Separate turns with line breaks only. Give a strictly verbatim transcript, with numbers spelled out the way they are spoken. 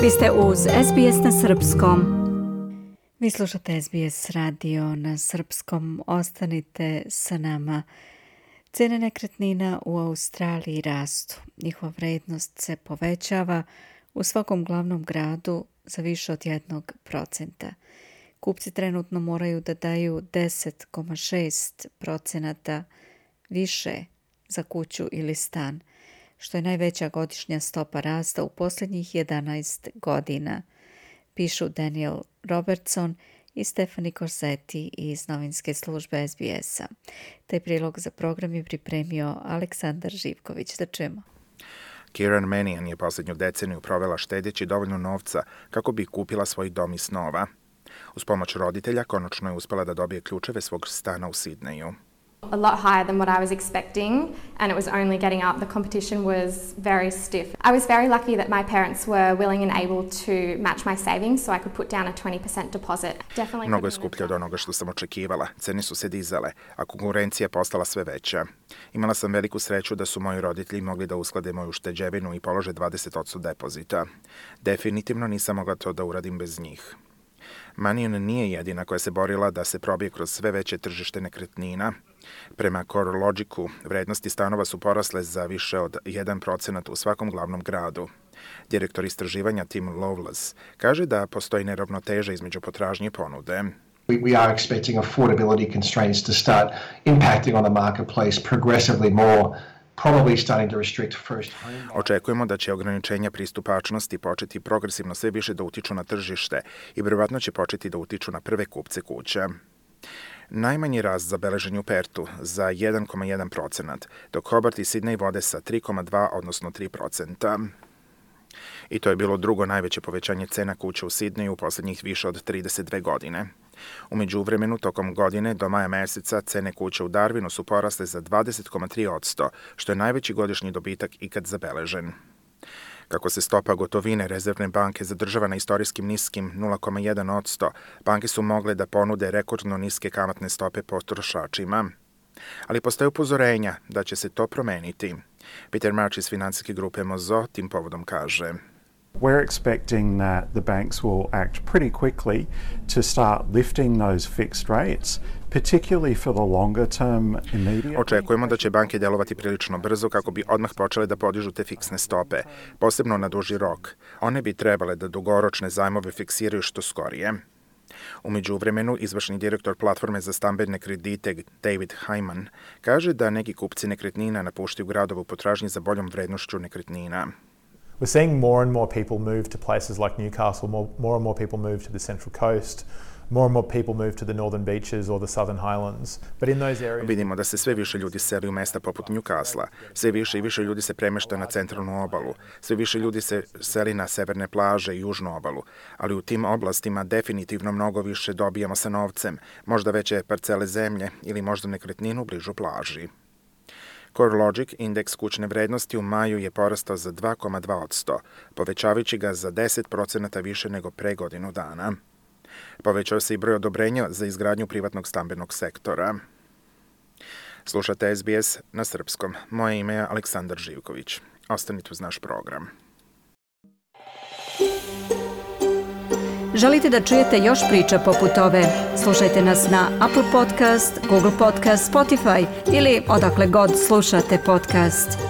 Vi ste uz S B S na srpskom. Vi slušate S B S radio na srpskom. Ostanite sa nama. Cene nekretnina u Australiji rastu. Njihova vrednost se povećava u svakom glavnom gradu za više od jednog procenta. Kupci trenutno moraju da daju deset zarez šest procenata više za kuću ili stan, što je najveća godišnja stopa rasta u posljednjih jedanaest godina, pišu Daniel Robertson i Stephanie Corsetti iz novinske službe S B S-a. Taj prilog za program je pripremio Aleksandar Živković. Da čujemo.
Kieran Mannion je posljednju deceniju provela štedeći dovoljno novca kako bi kupila svoj dom iz snova. Uz pomoć roditelja konačno je uspela da dobije ključeve svog stana u Sidneju.
A lot higher than what I was expecting, and it was only getting up. The competition was very stiff. I was very lucky that my parents were willing and able to match my savings, so I could put down a twenty percent deposit. Definitely.
Mnogo je skuplje od onoga što sam očekivala. Cene su se dizale, a konkurencija je postala sve veća. Imala sam veliku sreću da su moji roditelji mogli da usklade moju ušteđevinu i polože dvadeset posto depozita. Definitivno nisam mogla to da uradim bez njih. Mannion nije jedina koja se borila da se probije kroz sve veće tržište nekretnina. Prema CoreLogicu, vrednosti stanova su porasle za više od jedan procenat u svakom glavnom gradu. Direktor istraživanja Tim Loveless kaže da postoji neravnoteža između potražnje i ponude.
We, we are expecting affordability constraints to start impacting on the marketplace progressively more.
Očekujemo da će ograničenja pristupačnosti početi progresivno sve više da utiču na tržište i vjerovatno će početi da utiču na prve kupce kuća. Najmanji rast zabeležen je u Pertu za jedan zarez jedan procenat, dok Hobart i Sydney vode sa tri zarez dva odnosno tri procenta. I to je bilo drugo najveće povećanje cena kuća u Sidneju u posljednjih više od trideset dve godine. U međuvremenu, tokom godine do maja meseca cene kuća u Darwinu su porasle za dvadeset zarez tri posto, što je najveći godišnji dobitak ikad zabeležen. Kako se stopa gotovine rezervne banke zadržava na istorijskim niskim nula zarez jedan posto, banke su mogle da ponude rekordno niske kamatne stope potrošačima. Ali postoje upozorenja da će se to promeniti. Peter March iz finansijske grupe Mozo tim povodom kaže:
We're expecting that the banks will act pretty quickly to start lifting those fixed rates, particularly for the longer term immediately.
Očekujemo da će banke delovati prilično brzo kako bi odmah počele da podižu te fiksne stope, posebno na duži rok. One bi trebale da dugoročne zajmove fiksiraju što skorije. U međuvremenu, izvršni direktor platforme za stambene kredite David Hyman kaže da neki kupci nekretnina napuštaju gradove u potražnji za boljom vrednošću nekretnina.
We're seeing more and more people move to places like Newcastle, more, more and more people move to the Central Coast, more and more people move to the Northern Beaches or the Southern Highlands. But in those areas...
Vidimo da se sve više ljudi seli u mesta poput Newcastle, sve više i više ljudi se premešta na centralnu obalu, sve više ljudi se seli na severne plaže i južnu obalu, ali u tim oblastima definitivno mnogo više dobijamo sa novcem, možda veće parcele zemlje ili možda nekretninu bližu plaži. CoreLogic, indeks kućne vrednosti u maju je porastao za dva zarez dva posto, povećavajući ga za deset procenata više nego pre godinu dana. Povećao se i broj odobrenja za izgradnju privatnog stambenog sektora. Slušate S B S na srpskom. Moje ime je Aleksandar Živković. Ostanite uz naš program.
Želite da čujete još priča poput ove? Slušajte nas na Apple Podcast, Google Podcast, Spotify ili odakle god slušate podcast.